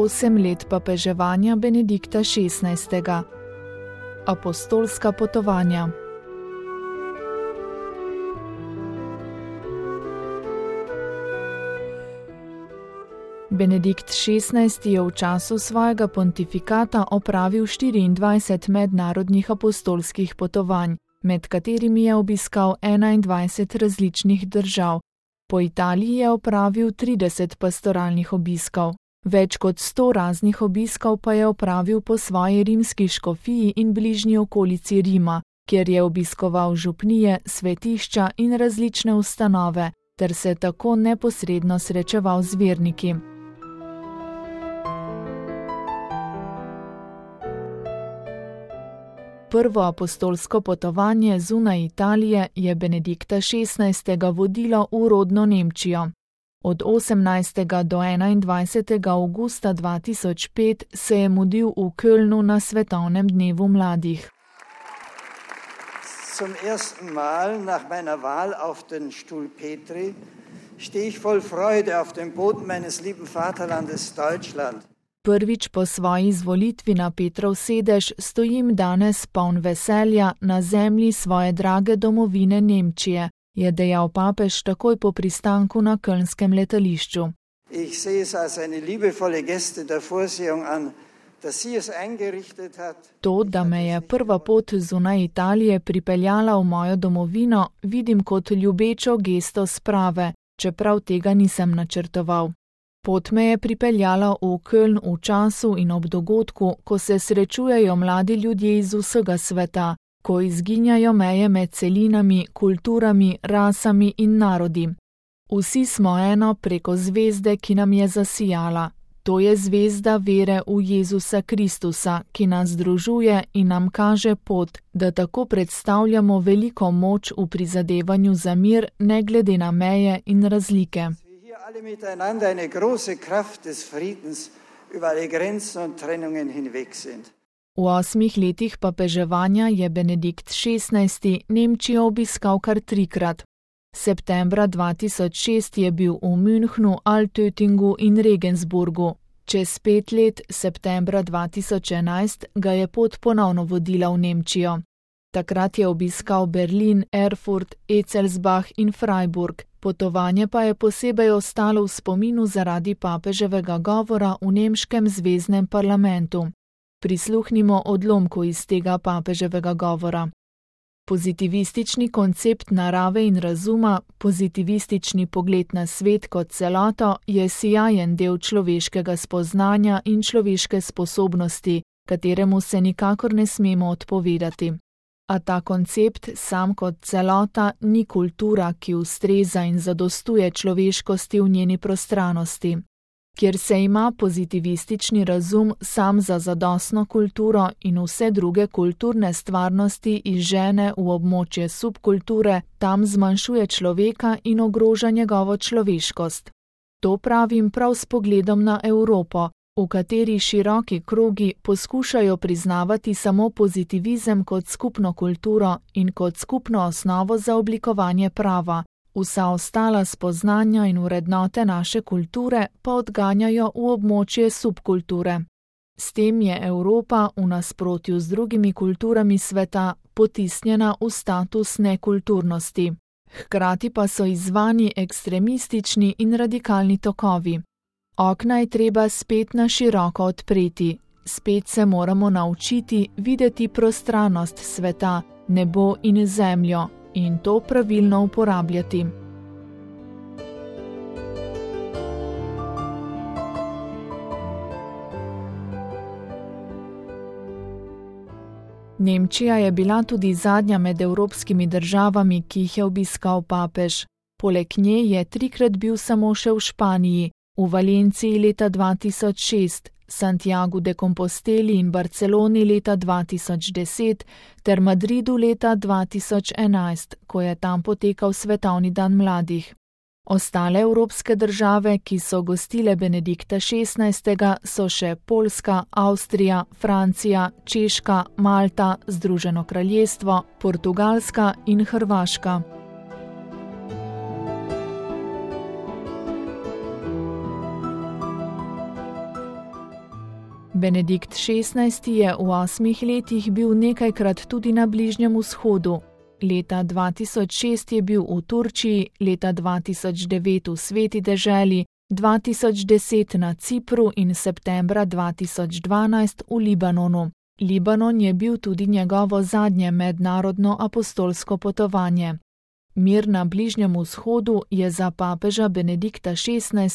8 let papeževanja Benedikta XVI. Apostolska potovanja. Benedikt XVI. Je v času svojega pontifikata opravil 24 mednarodnih apostolskih potovanj, med katerimi je obiskal 21 različnih držav. Po Italiji je opravil 30 pastoralnih obiskov. Več kot 100 raznih obiskov pa je opravil po svoji rimski škofiji in bližnji okolici Rima, kjer je obiskoval župnije, svetišča in različne ustanove, ter se tako neposredno srečeval z verniki. Prvo apostolsko potovanje zunaj Italije je Benedikta XVI. Vodilo v rodno Nemčijo. Od 18. do 21. avgusta 2005 se je mudil v Kölnu na svetovnem dnevu mladih. Zum ersten Mal nach meiner Wahl auf den Stuhl Petri stehe ich voll Freude auf dem Boden meines lieben Vaterlandes Deutschland. Prvič po svoji izvolitvi na Petrov sedež stojim danes poln veselja na zemlji svoje drage domovine Nemčije, je dejal papež takoj po pristanku na kölnskem letališču. Ich sehe es als eine liebevolle Geste der Vorsehung an, dass sie es eingerichtet hat. To, da me je prva pot zunaj Italije pripeljala v mojo domovino, vidim kot ljubečo gesto sprave, čeprav tega nisem načrtoval. Pot me je pripeljala v Köln v času in ob dogodku, ko se srečujejo mladi ljudje iz vsega sveta, ko izginjajo meje med celinami, kulturami, rasami in narodi. Vsi smo eno preko zvezde, ki nam je zasijala. To je zvezda vere v Jezusa Kristusa, ki nas združuje in nam kaže pot, da tako predstavljamo veliko moč v prizadevanju za mir, ne glede na meje in razlike. Alle miteinander eine große Kraft des Friedens über alle Grenzen und Trennungen hinweg sind. V 8 letih papeževanja je Benedikt XVI. Nemčijo obiskal kar 3-krat. Septembra 2006 je bil v Münchnu, Altöttingu in Regensburgu. Čez 5 let, septembra 2011, ga je pot ponovno vodila v Nemčijo. Takrat je obiskal Berlin, Erfurt, Etzelsbach in Freiburg. Potovanje pa je posebej ostalo v spominu zaradi papeževega govora v nemškem zveznem parlamentu. Prisluhnimo odlomku iz tega papeževega govora. Pozitivistični koncept narave in razuma, pozitivistični pogled na svet kot celoto je sijajen del človeškega spoznanja in človeške sposobnosti, kateremu se nikakor ne smemo odpovedati. A ta koncept sam kot celota ni kultura, ki ustreza in zadostuje človeškosti v njeni prostranosti. Kjer se ima pozitivistični razum sam za zadostno kulturo in vse druge kulturne stvarnosti izžene v območje subkulture, tam zmanjšuje človeka in ogroža njegovo človeškost. To pravim prav s pogledom na Evropo, v kateri široki krogi poskušajo priznavati samo pozitivizem kot skupno kulturo in kot skupno osnovo za oblikovanje prava, vsa ostala spoznanja in vrednote naše kulture pa odganjajo v območje subkulture. S tem je Evropa v nasprotju z drugimi kulturami sveta potisnjena v status nekulturnosti. Hkrati pa so izzvani ekstremistični in radikalni tokovi. Okna je treba spet na široko odpreti, spet se moramo naučiti videti prostranost sveta, nebo in zemljo in to pravilno uporabljati. Nemčija je bila tudi zadnja med evropskimi državami, ki jih je obiskal papež. Poleg nje je 3-krat bil samo še v Španiji, v Valenciji leta 2006, Santiagu de Composteli in Barceloni leta 2010 ter Madridu leta 2011, ko je tam potekal Svetovni dan mladih. Ostale evropske države, ki so gostile Benedikta XVI., so še Poljska, Avstrija, Francija, Češka, Malta, Združeno kraljestvo, Portugalska in Hrvaška. Benedikt XVI. Je v 8 letih bil nekajkrat tudi na Bližnjem vzhodu. Leta 2006 je bil v Turčiji, leta 2009 v Sveti deželi, 2010 na Cipru in septembra 2012 v Libanonu. Libanon je bil tudi njegovo zadnje mednarodno apostolsko potovanje. Mir na Bližnjem vzhodu je za papeža Benedikta XVI.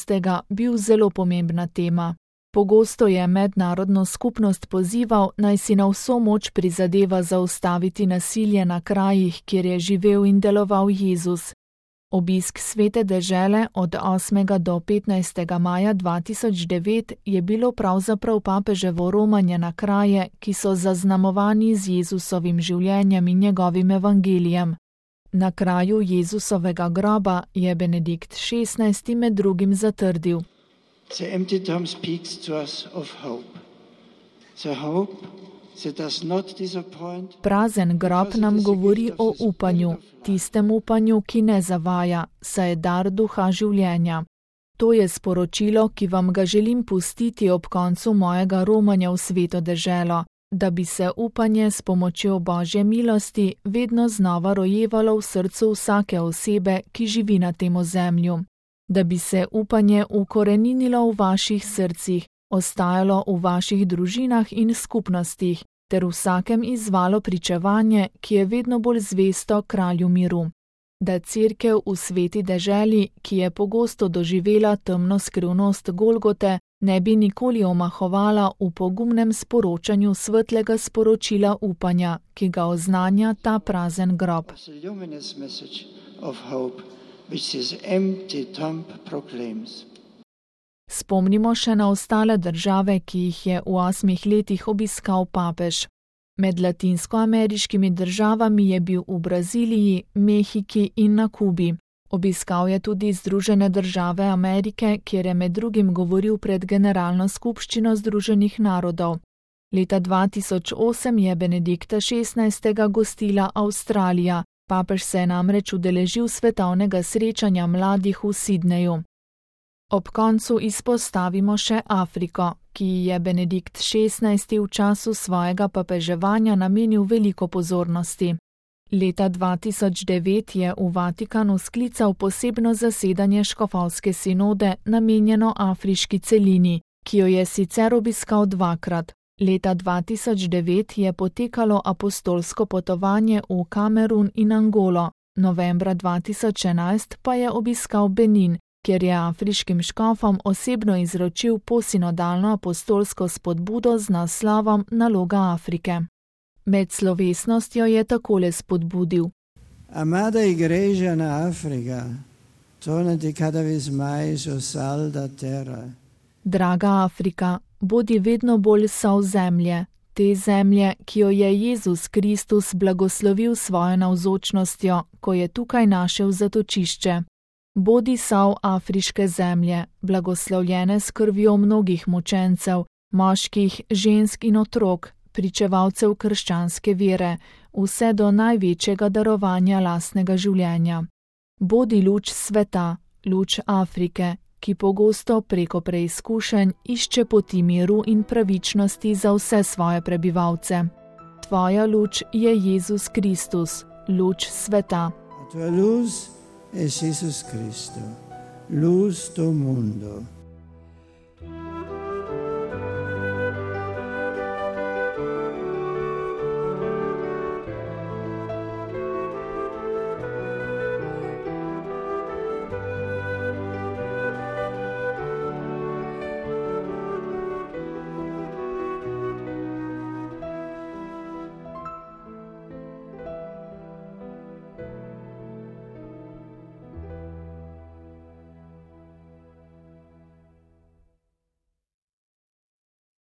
Bil zelo pomembna tema. Pogosto je mednarodno skupnost pozival, naj si na vso moč prizadeva zaustaviti nasilje na krajih, kjer je živel in deloval Jezus. Obisk Svete dežele od 8. do 15. maja 2009 je bilo pravzaprav papeževo romanje na kraje, ki so zaznamovani z Jezusovim življenjem in njegovim evangelijem. Na kraju Jezusovega groba je Benedikt XVI. Med drugim zatrdil: The empty tomb speaks to us of hope. The hope that does not disappoint. Prazen grob nam govori o upanju, tistem upanju, ki ne zavaja, saj je dar duha življenja. To je sporočilo, ki vam ga želim pustiti ob koncu mojega romanja v Sveto deželo, da bi se upanje s pomočjo Božje milosti vedno znova rojevalo v srcu vsake osebe, ki živi na tem ozemlju. Da bi se upanje ukoreninilo v vaših srcih, ostajalo v vaših družinah in skupnostih, ter vsakem izvalo pričevanje, ki je vedno bolj zvesto kralju miru. Da Cerkev v Sveti deželi, ki je pogosto doživela temno skrivnost Golgote, ne bi nikoli omahovala v pogumnem sporočanju svetlega sporočila upanja, ki ga oznanja ta prazen grob. Spomnimo še na ostale države, ki jih je v 8 letih obiskal papež. Med latinskoameriškimi državami je bil v Braziliji, Mehiki in na Kubi. Obiskal je tudi Združene države Amerike, kjer je med drugim govoril pred Generalno skupščino Združenih narodov. Leta 2008 je Benedikta XVI. Gostila Avstralija. Papež se je namreč udeležil svetovnega srečanja mladih v Sidneju. Ob koncu izpostavimo še Afriko, ki je Benedikt XVI. V času svojega papeževanja namenil veliko pozornosti. Leta 2009 je v Vatikanu sklical posebno zasedanje škofovske sinode namenjeno afriški celini, ki jo je sicer obiskal 2-krat. Leta 2009 je potekalo apostolsko potovanje v Kamerun in Angolo, novembra 2011 pa je obiskal Benin, kjer je afriškim škofom osebno izročil posinodalno apostolsko spodbudo z naslovom Naloga Afrike. Med slovesnostjo je takole spodbudil: Amada igreja na Afrika, tornati cada vez mais o sal da terra. Draga Afrika, bodi vedno bolj sol zemlje, te zemlje, ki jo je Jezus Kristus blagoslovil svojo navzočnostjo, ko je tukaj našel zatočišče. Bodi sol afriške zemlje, blagoslovljene s krvjo mnogih mučencev, moških, žensk in otrok, pričevalcev krščanske vere, vse do največjega darovanja lastnega življenja. Bodi luč sveta, luč Afrike, ki pogosto preko preizkušenj išče poti miru in pravičnosti za vse svoje prebivalce. Tvoja luč je Jezus Kristus, luč sveta. A tua luz es Jesus Cristo, luz do mundo.